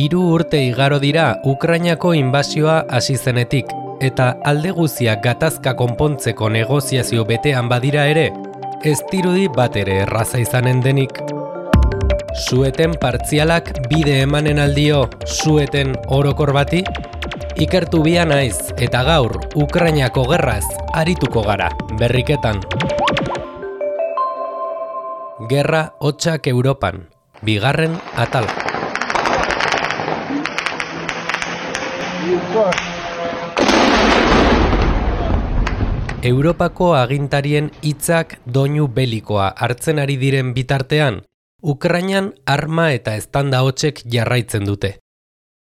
3 urte igaro dira Ukrainako inbasioa hasi zenetik, eta alde guztiak gatazka konpontzeko negoziazio betean badira ere, ez dirudi bat ere erraza izanen denik. Su-eten partzialak bide emanen aldio su-eten orokor bati? Ikertu bia naiz, eta gaur Ukrainako gerraz arituko gara, berriketan. Gerra hotsak Europan, bigarren atala. Europako agintarien hitzak doinu belikoa hartzen ari diren bitartean, Ukrainan arma eta eztanda hotsek jarraitzen dute.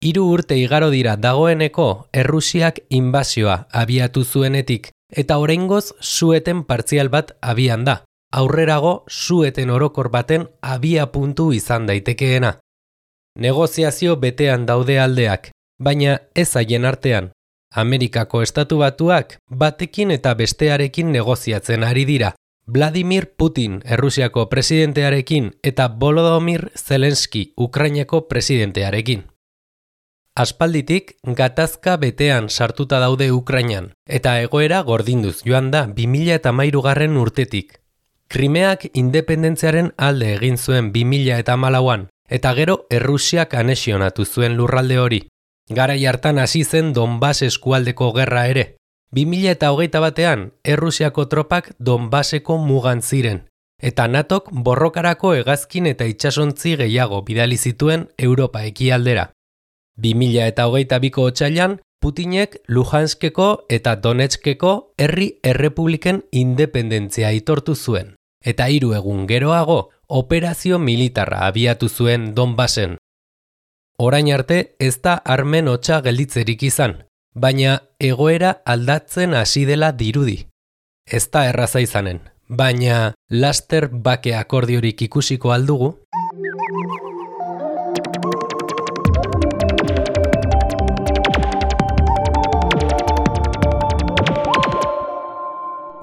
3 urte igaro dira dagoeneko Errusiak inbasioa abiatu zuenetik, eta oraingoz su-eten partzial bat abian da. Aurrerago su-eten orokor baten abia puntu izan daitekeena. Negoziazio betean daude aldeak, baina ez haien artean. Amerikako Estatu Batuak batekin eta bestearekin negoziatzen ari dira. Vladimir Putin Errusiako presidentearekin eta Volodymyr Zelensky Ukrainako presidentearekin. Aspalditik gatazka betean sartuta daude Ukrainan, eta egoera gordinduz joan da 2013 urtetik. Krimeak independentziaren alde egin zuen 2014an, eta gero Errusiak anexionatu zuen lurralde hori. Garai hartan hasi zen Donbas eskualdeko gerra ere. 2021an Errusiako tropak Donbaseko mugan ziren, eta NATOk borrokarako hegazkin eta itsasontzi gehiago bidali zituen Europa ekialdera. 2022ko otsailean Putinek Luhanskeko eta Donetskeko herri errepubliken independentzia aitortu zuen, eta 3 egun geroago operazio militarra abiatu zuen Donbasen. Orain arte ez da armen hotsa gelditzerik izan, baina egoera aldatzen hasi dela dirudi. Ez da erraza izanen, baina laster bake akordiorik ikusiko aldugu?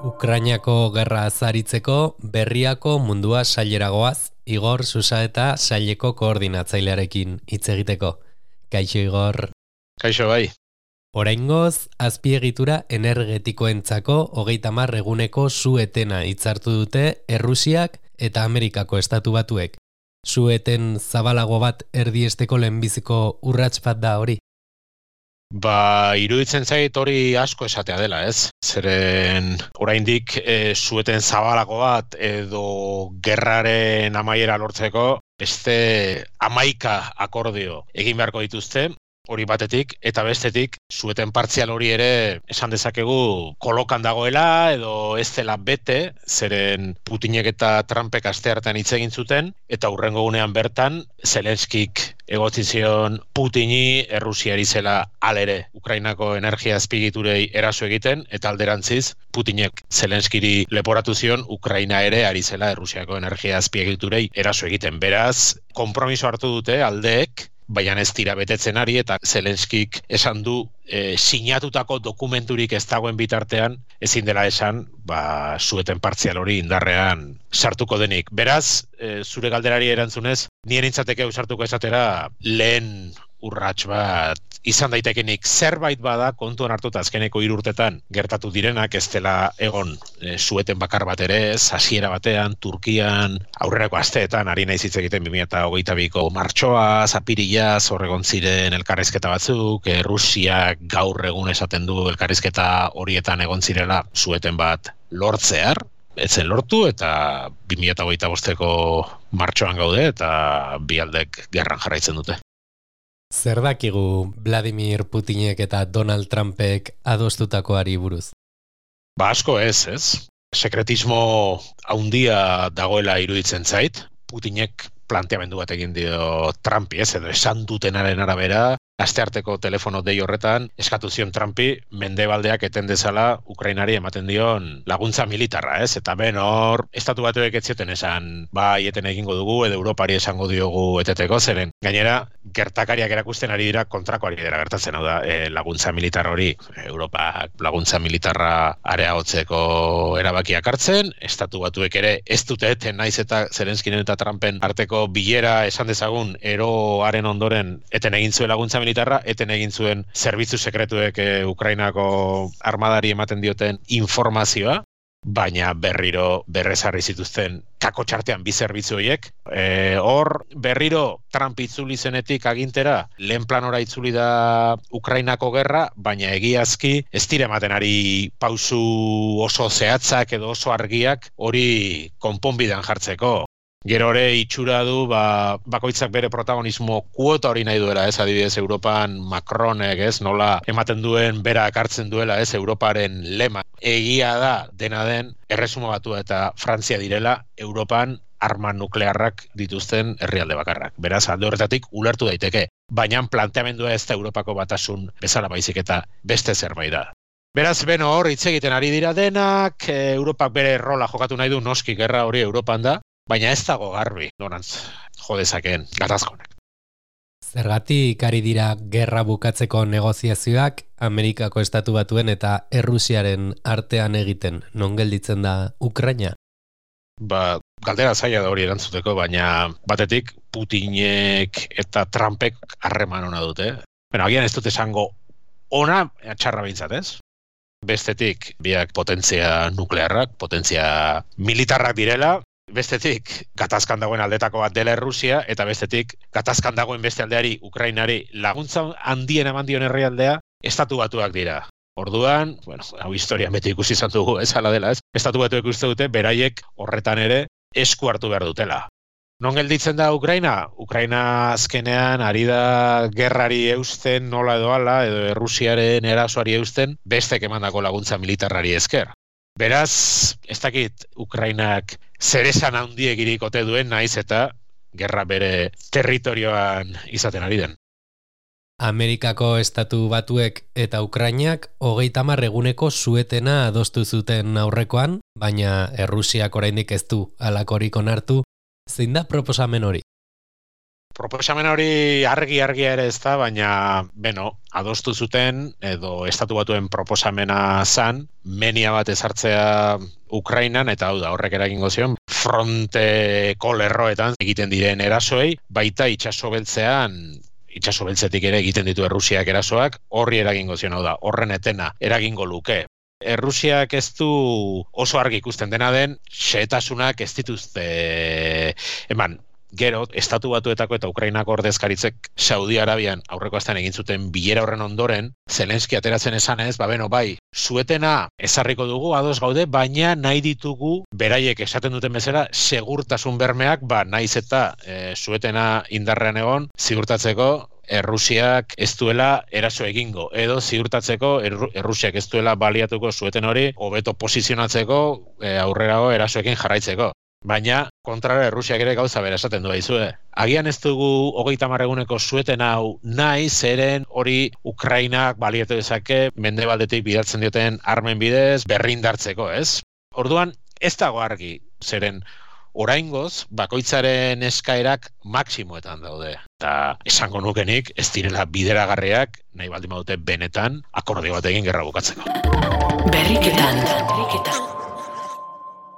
Ukrainako gerra azaritzeko berriako mundua saileragoaz, Igor Susaeta saileko koordinatzailearekin hitz egiteko. Kaixo Igor. Kaixo bai. Oraingoz, azpiegitura energetikoentzako 30 eguneko su-etena hitzartu dute Errusiak eta Amerikako Estatu Batuek. Su-eten zabalago bat erdiesteko lehenbiziko urrats bat da hori. Iruditzen zait hori asko esatea dela, ez? Zeren oraindik su-eten zabalago bat edo gerraren amaiera lortzeko beste 11 akordio egin beharko dituzte. Hori batetik, eta bestetik, su-eten partzial hori ere esan dezakegu kolokan dagoela edo ez dela bete, zeren Putinek eta Trumpek asteartean hitz egin zuten, eta hurrengo gunean bertan, Zelenskik egotzi zion Putini Errusiari zela alere Ukrainako energia azpiegiturei eraso egiten, eta alderantziz, Putinek Zelenskiri leporatu zion Ukraina ere ari zela Errusiako energia azpiegiturei eraso egiten. Beraz, konpromiso hartu dute aldeek, baina ez dira betetzen ari, eta Zelenskik esan du sinatutako dokumenturik ez dagoen bitartean, ezin dela esan, su-eten partzial hori indarrean sartuko denik. Beraz, zure galderari erantzunez, nien intzateke sartuko esatera lehen urrats bat izan daitekenik. Zerbait bada kontuan hartuta azkeneko 3 urtetan gertatu direnak, ez dela egon su-eten bakar bat ere ez, hasiera batean, Turkian, aurrerako asteetan, ari naiz hitz egiten 2022ko martxoa, apirilaz, horregon ziren elkarrizketa batzuk, Rusiak gaur egun esaten du elkarrizketa horietan egon zirela su-eten bat lortzear, etzen lortu, eta 2025ko martxoan gaude, eta bi aldek gerran jarraitzen dute. Zer dakigu Vladimir Putinek eta Donald Trumpek adostutakoari buruz? Asko ez? Sekretismo handia dagoela iruditzen zait. Putinek planteamendu bat egin dio Trumpi, edo esan dutenaren arabera, astearteko telefono dei horretan eskatu zion Trumpi mendebaldeak eten dezala Ukrainari ematen dion laguntza militarra, ez? Eta ben hor, estatu batuek ez zioten esan, bai, eten egingo dugu, edo Europari esango diogu eteteko, zeren. Gainera, gertakariak erakusten ari dira kontrakoari dira gertatzen, hau da, laguntza militar hori, Europa laguntza militarra areagotzeko erabakiak hartzen, estatu batuek ere ez dute eten naiz eta Zelenskinen eta Trumpen arteko bilera esan dezagun eroaren ondoren eten egin zuen laguntza militarra, eten egin zuen zerbitzu sekretuek Ukrainako armadari ematen dioten informazioa, baina berriro berrezarri zituzten kako txartean bi zerbitzu horiek. Hor berriro Trump itzuli zenetik agintera, lehen planora itzuli da Ukrainako gerra, baina egiazki ez dira ematen ari pausu oso zehatzak edo oso argiak hori konponbidean jartzeko. Gero ere itxura du bakoitzak bere protagonismo kuota hori nahi duela, ez adibidez Europan Macronek, ez nola ematen duen berak hartzen duela, ez Europaren lema. Egia da dena den Erresuma Batua eta Frantzia direla Europan arma nuklearrak dituzten herrialde bakarrak. Beraz, alde horretatik ulertu daiteke, baina planteamendua ez da Europako Batasun bezala baizik eta beste zerbait da. Beraz, beno hor hitz egiten ari dira denak, Europak bere rola jokatu nahi du, noski gerra hori Europan da, baina ez dago garbi, norantz jodezakeen gatazkonak. Zergatik ari dira gerra bukatzeko negoziazioak Amerikako Estatu Batuen eta Errusiaren artean egiten, non gelditzen da Ukraina? Galdera zaila da hori erantzuteko, baina batetik Putinek eta Trumpek harreman ona dute. Agian ez dute esango ona txarra behintzat, ez? Bestetik, biak potentzia nuklearrak, potentzia militarrak direla, bestetik, gatazkan dagoen aldetako bat dela Errusia, eta bestetik, gatazkan dagoen beste aldeari, Ukrainari, laguntza handien eman dion herrialdea, Estatu Batuak dira. Orduan, hau historian beti ikusi izan dugu, ez hala dela, ez? Estatu Batuek uste dute, beraiek horretan ere esku hartu behar dutela. Non gelditzen da Ukraina? Ukraina azkenean ari da gerrari eusten nola edo hala, edo Errusiaren erasoari eusten, bestek emandako laguntza militarrari esker. Beraz, ez dakit Ukrainak zeresan handiek ote duen naiz eta gerra bere territorioan izaten ari den. Amerikako Estatu Batuek eta Ukrainak 30 eguneko suetena adostu zuten aurrekoan, baina Errusiak oraindik ez du halakorik onartu. Zein da proposamen hori? Proposamen hori argi ere ez da, baina, adostu zuten, edo Estatu Batuen proposamena zan, menia bat ezartzea Ukrainan, eta hau da, horrek eragingo zion, fronteko lerroetan egiten diren erasoei, baita itsaso beltzetik ere egiten ditu Errusiak erasoak, horri eragingo zion, hau da, horren etena eragingo luke. Errusiak ez du oso argi ikusten dena den, xehetasunak ez dituzte eman. Gero, Estatu Batuetako eta Ukrainako ordezkaritzek Saudi Arabian aurreko astean egin zuten bilera horren ondoren, Zelenski ateratzen esanez, suetena ezarriko dugu, ados gaude, baina nahi ditugu, beraiek esaten duten bezala, segurtasun bermeak, naiz eta suetena indarrean egon, ziurtatzeko Errusiak ez duela eraso egingo, edo ziurtatzeko Errusiak ez duela baliatuko sueten hori, hobeto posizionatzeko aurrerago erasoekin jarraitzeko. Baina, kontrara Errusiak ere gauza bera esaten du baizue. Agian ez dugu 30 eguneko sueten hau nahi, zeren hori Ukrainak baliatu dezake mendebaldetik bidaltzen dioten armen bidez berrindartzeko, ez? Orduan, ez dago argi, zeren oraingoz, bakoitzaren eskaerak maksimoetan daude. Eta esango nukenik, ez direla bideragarriak, nahi baldin badute benetan, akordio bat egin gerra bukatzeko. Berriketan.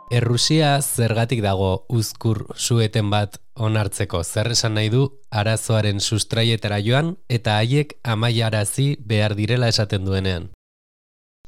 Errusia zergatik dago uzkur sueten bat onartzeko, zer esan nahi du arazoaren sustraietara joan eta haiek amaiarazi behar direla esaten duenean.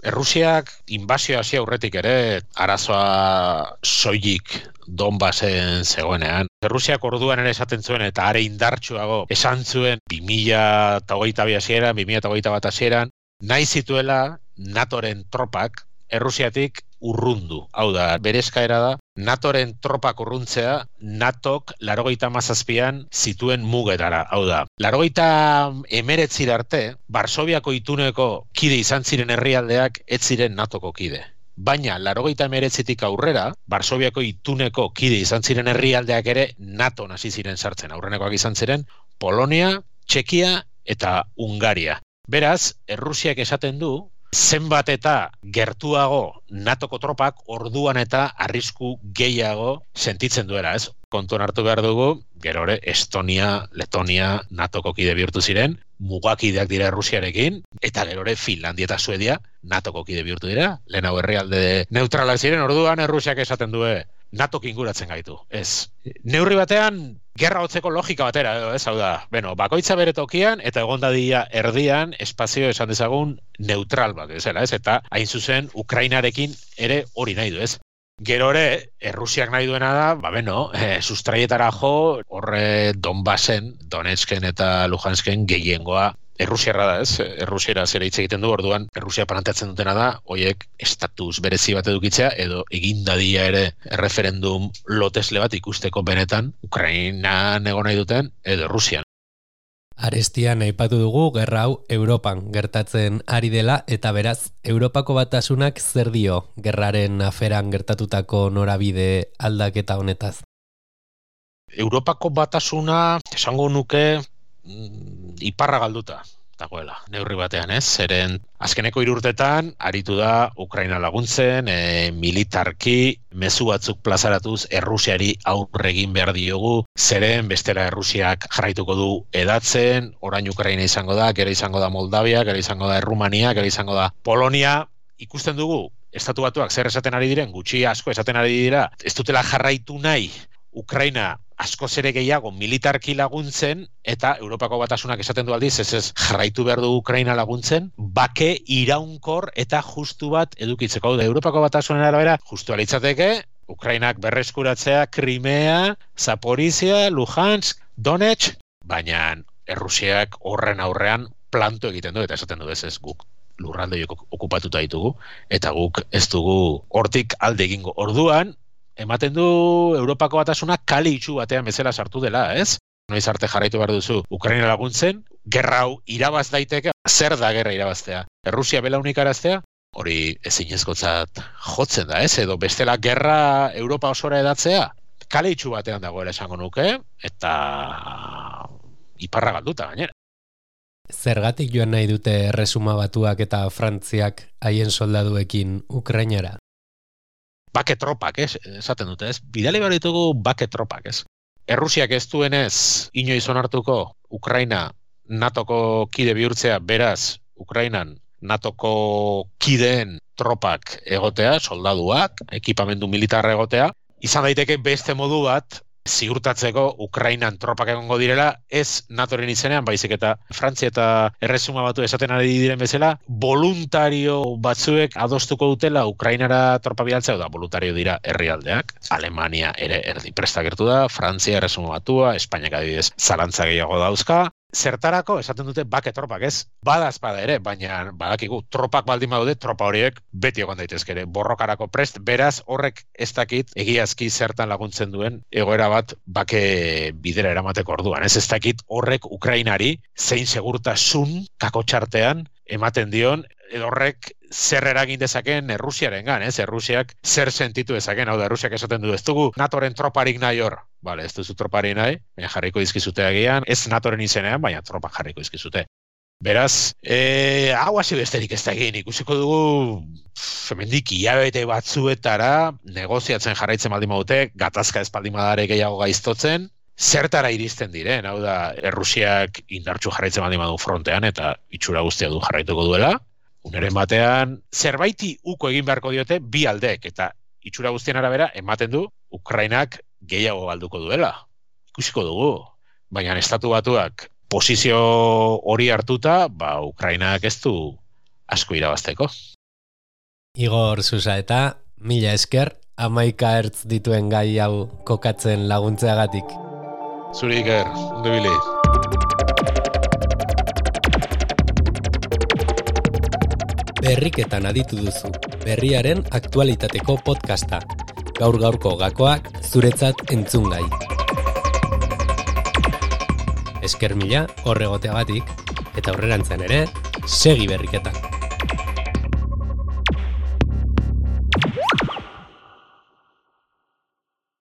Errusiak inbazioa hasi aurretik ere arazoa soilik Donbasen zegoenean. Errusiak orduan ere esaten zuen eta are indartsuago esan zuen 2022 hasieran, 2021 hasieran, nahi zituela NATOren tropak Errusiatik urrundu. Hau da, bere eskaera da, NATOren tropak urruntzea, NATOk 97an zituen mugetara. Hau da, 89 arte, Varsoviako ituneko kide izan ziren herrialdeak ez ziren NATOko kide. Baina, 89tik aurrera, Varsoviako ituneko kide izan ziren herrialdeak ere NATO hasi ziren sartzen. Aurrenekoak izan ziren Polonia, Txekia eta Hungaria. Beraz, Errusiak esaten du, zenbat eta gertuago NATOko tropak orduan eta arrisku gehiago sentitzen duela, ez? Kontuan hartu behar dugu, gero ere Estonia, Letonia, NATOko kide bihurtu ziren, mugakideak dira Errusiarekin, eta gero ere Finlandia eta Suedia NATOko kide bihurtu dira, lehenago herrialde neutralak ziren, orduan Errusiak esaten du, NATOk inguratzen gaitu, ez. Neurri batean, gerra hotzeko logika batera, ez, hau da, bakoitza bere tokian, eta egon dadila erdian, espazio esan dezagun neutral bat, ez, eta hain zuzen, Ukrainarekin ere hori nahi du, ez. Gero ere, Errusiak nahi duena da, sustraietara jo, horre Donbassen, Donetsken eta Luhansken gehiengoa Errusiarra da, ez? Errusiera zera hitz egiten du, orduan Errusia planteatzen dutena da, hoiek estatus berezi bat edukitzea, edo egin dadia ere referendum lotesle bat ikusteko benetan, Ukrainan egon nahi duten, edo Errusian. Arestian aipatu dugu gerra hau Europan gertatzen ari dela eta beraz, Europako Batasunak zer dio gerraren aferan gertatutako norabide aldaketa honetaz? Europako Batasuna, esango nuke, iparra galduta dagoela, neurri batean, ez? Zeren azkeneko 3 urtetan aritu da Ukraina laguntzen, militarki, mezu batzuk plazaratuz Errusiari aurre egin behar diogu, zeren bestera Errusiak jarraituko du edatzen, orain Ukraina izango da, gero izango da Moldavia, gero izango da Errumania, gero izango da Polonia, ikusten dugu, Estatu Batuak zer esaten ari diren, gutxi asko esaten ari dira, ez dutela jarraitu nahi Ukraina askoz ere gehiago militarki laguntzen, eta Europako Batasunak esaten du aldiz, ez jarraitu behar du Ukraina laguntzen, bake iraunkor eta justu bat edukitzeko. Europako Batasunen arabera, justu alitzateke, Ukrainak berreskuratzea Crimea, Zaporizhia, Luhansk, Donetsk, baina Errusiak horren aurrean planto egiten du, eta esaten du ez guk lurralde okupatuta ditugu, eta guk ez dugu hortik alde egingo. Orduan, ematen du Europako Batasunak kale itxu batean bezala sartu dela, ez? Noiz arte jarraitu behar duzu Ukraina laguntzen, gerra hau irabaz daiteke, zer da gerra irabaztea? Errusia belaunik araztea? Hori ezinezkotzat jotzen da, ez? Edo bestela gerra Europa osora edatzea? Kale itxu batean dagoela esango nuke, eta iparra galduta gainera. Zergatik joan nahi dute Erresuma Batuak eta Frantziak haien soldaduekin Ukrainara? Bake tropak, esaten dute, ez? Bidali behar ditugu bake tropak, ez? Errusiak ez duenez inoiz onartuko Ukraina NATOko kide bihurtzea, beraz, Ukrainan NATOko kideen tropak egotea, soldaduak, ekipamendu militarra egotea, izan daiteke beste modu bat, ziurtatzeko Ukrainan tropak egongo direla, ez NATOren izenean, baizik eta Frantzia eta Erresuma Batu esaten ari diren bezala, voluntario batzuek adostuko dutela Ukrainara tropa bidaltzea, da voluntario dira herrialdeak, Alemania ere erdi prestagertu da, Frantzia, Erresuma Batua, Espainiak adibidez zalantza gehiago dauzka, zertarako esaten dute bake tropak, ez? Bada ere, baina badakigu tropak baldin badaude, tropa horiek beti egon daitezke ere, borrokarako prest, beraz horrek ez dakit egiazki zertan laguntzen duen egoera bat bake bidera eramateko orduan. Ez dakit horrek Ukrainari zein segurtasun kakotxartean ematen dion, edo horrek zer eragin dezaken Errusiarengan, ez? Errusiak zer sentitu dezaken, hau da, Errusiak esaten du, ez dugu NATOren troparik nahi hor. Bale, ez duzu troparik nahi, baina jarriko dizkizute agian, ez NATOren izenean, baina tropak jarriko dizkizute. Beraz, hau hasi besterik ez da egin, ikusiko dugu hemendik hilabete batzuetara negoziatzen jarraitzen baldin badute, gatazka ez baldin badare gehiago gaiztotzen, zertara iristen diren, hau da, Errusiak indartsu jarraitzen baldin badu frontean eta itxura guztia du jarraituko duela, uneren batean zerbaiti uko egin beharko diote bi aldeek, eta itxura guztien arabera ematen du Ukrainak gehiago galduko duela. Ikusiko dugu, baina Estatu Batuak posizio hori hartuta, Ukrainak ez du asko irabazteko. Igor Susaeta, mila esker, 11 hertz dituen gai hau kokatzen laguntzeagatik. Zuri Iker, ondo ibili. Berriketan aditu duzu, berriaren aktualitateko podcasta. Gaur-gaurko gakoak zuretzat entzungai. Esker mila horregoteagatik, eta aurrerantzean ere, segi berriketan.